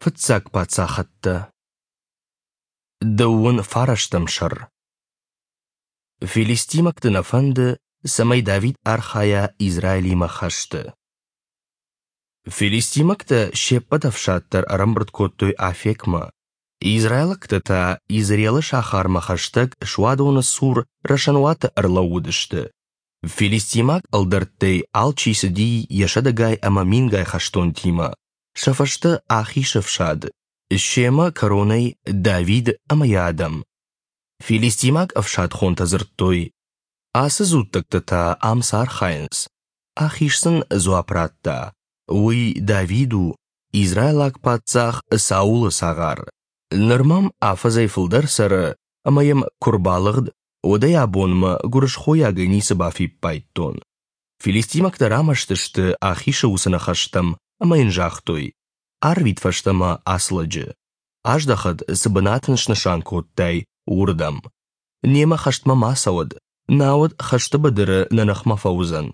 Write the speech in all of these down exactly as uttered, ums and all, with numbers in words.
Фыццаг паддзахӕдтӕ. Дыууын фарӕстӕм сӕр. Филистимӕгты нӕ фӕнды, цӕмӕй Давид архайа Израилимӕ хӕсты. Филистимӕгтӕ се ппӕт ӕфсад дӕр ӕрӕмбырд кодтой Афекмӕ, израилӕгтӕ та Изреелы сахармӕ хӕстӕг суадоны цур рӕсӕнуаты ӕрлӕууыдысты. Филистимаг ӕлдӕрттӕй алчи цыди йӕ сӕдӕгай ӕмӕ мингай хӕстонтимӕ, сӕ фӕстӕ Ахисы ӕфсад, семӕ кӕронӕй Давид ӕмӕ йӕ адӕм. Филистимаг ӕфсадхонтӕ дзырдтой: «Ацы дзуттӕгтӕ та ам цы архайынц?» Ахиш сын дзуапп радта: «Уый Давид у, израилаг паддзах Саулы цагъар. Ныр мӕм афӕдзӕй фылдӕр цӕры, ӕмӕ йӕм куы рбалыгъд, уӕдӕй абонмӕ гуырысхойагӕй ницы бафиппайдтон». Филистимӕгтӕ рамӕсты сты Ахишы уыцы ныхӕстӕм ӕмӕ йын загътой: «Арвит фӕстӕмӕ ацы лӕджы. Аздӕхӕд, цы бынат ын снысан кодтай, уырдӕм. Немӕ хӕстмӕ ма цӕуӕд, науӕд хӕсты быдыры нӕ ныхмӕ фӕуыдзӕн.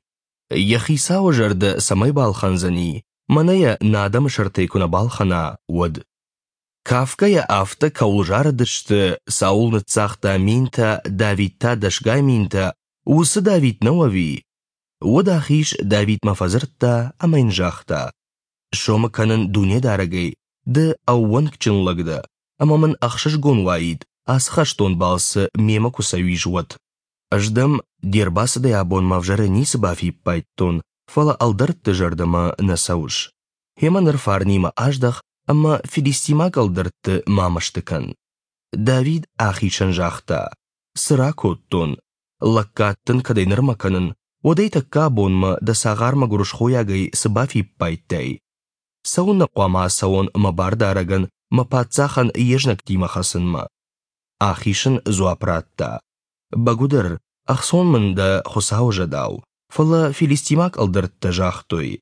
Йӕ хицауы зӕрдӕ цӕмӕй балхӕндзӕни, мӕнӕ йӕ нӕ адӕмы сӕртӕй куы нӕ балхӕна, уӕд». Кафгӕйӕ афтӕ кӕуыл зарыдысты, Саул ныццагъта минтӕ, Давид та дӕсгай минтӕ, уыцы Давид нӕу ӕви? Уӕд Ахиш Давидмӕ фӕдзырдта ӕмӕ йын загъта: «Сомы кӕнын Дунедарӕгӕй, ды ӕууӕнкджын лӕг дӕ, ӕмӕ мын ӕхсызгон уаид, ацы хӕстон балцы мемӕ куы цӕуис, уӕд. Ӕз дӕм де рбацыдӕй абонмӕ ӕвзӕрӕй ницы бафиппайдтон, фӕлӕ ӕлдӕртты зӕрдӕмӕ нӕ цӕуыс. Гъемӕ ныр фарнимӕ аздӕх ӕмӕ филистимаг ӕлдӕртты ма мӕсты кӕн». Давид Ахишӕн загъта: «Цы ракодтон? Лӕггад дын кӕдӕй нырмӕ кӕнын, уӕдӕй тӕккӕ абонмӕ дӕ цагъармӕ гуырысхойагӕй цы бафиппайдтай? Цӕуылнӕ хъуамӕ ацӕуон мӕ бардарӕгӕн, мӕ паддзахӕн йе знӕгтимӕ хӕцынмӕ?» Ахиш ын дзуапп радта: «Бӕгуыдӕр, ӕхцон мын дӕ Хуыцауы зӕдау, фӕлӕ филистимаг ӕлдӕрттӕ загътой: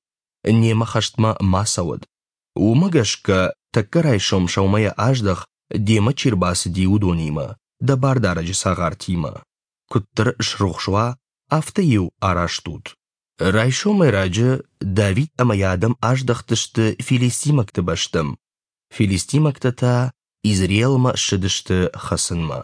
немӕ хӕстмӕ ма цӕуӕд. Уымӕ гӕсгӕ тӕккӕ райсом сӕумӕйӕ аздӕх, демӕ чи рбацыди, уыдонимӕ, дӕ бардарӕджы цагъартимӕ. Куыддӕр срухс уа, афтӕ-иу араст ут». Райсомӕй раджы Давид ӕмӕ йӕ адӕм аздӕхтысты филистимӕгты бӕстӕм. Филистимӕгтӕ та Изреелмӕ ссыдысты хӕцынмӕ.